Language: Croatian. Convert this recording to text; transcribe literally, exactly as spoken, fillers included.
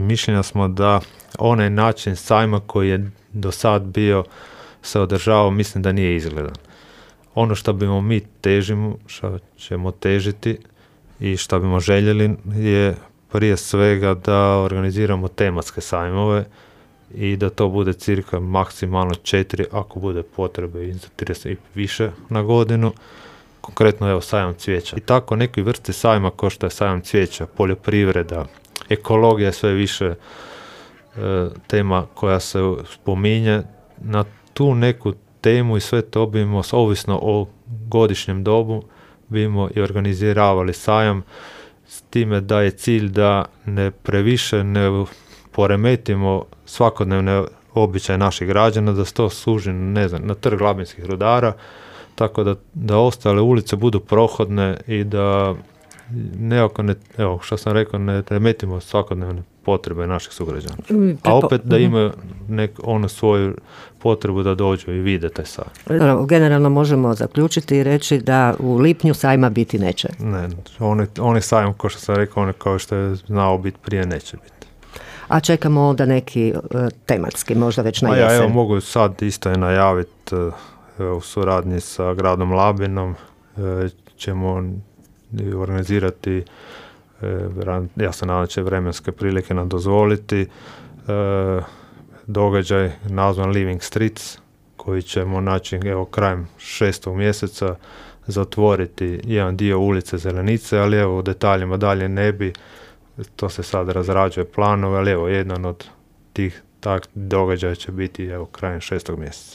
mišljenja smo da onaj način sajma koji je do sad bio se održavao, mislim da nije izgledan. Ono što bimo mi težimo, što ćemo težiti i što bimo željeli je prije svega da organiziramo tematske sajmove i da to bude cirka maksimalno četiri, ako bude potrebe i za trideset i više na godinu. Konkretno evo sajam cvijeća. I tako neki vrste sajma kao što je sajam cvijeća, poljoprivreda, ekologija je sve više e, tema koja se spominje. Na tu neku temu i sve to bimo, ovisno o godišnjem dobu, bimo i organiziravali sajam s time da je cilj da ne previše ne poremetimo svakodnevne običaje naših građana, da se to služi, ne znam, na trg Labinskih rudara, tako da, da ostale ulice budu prohodne i da nekako ne, evo što sam rekao, ne remetimo svakodnevne potrebe naših sugrađana. A opet da imaju nek, ono svoju potrebu da dođu i vide taj sajam. Generalno možemo zaključiti i reći da u lipnju sajma biti neće. Ne, onaj on sajam, kao što sam rekao, on kao što je znao biti prije, neće biti. A čekamo onda neki uh, tematski, možda već na jesen. A ja evo mogu sad isto je najaviti uh, u suradnji sa gradom Labinom uh, ćemo organizirati, uh, ja se nadam će vremenske prilike nam dozvoliti, uh, događaj nazvan Living Streets, koji ćemo naći evo krajem šestog mjeseca zatvoriti jedan dio ulice Zelenice, ali evo u detaljima dalje ne bi. To se sad razrađuje planove, ali evo jedan od tih tak događaja će biti evo krajem šestog mjeseca.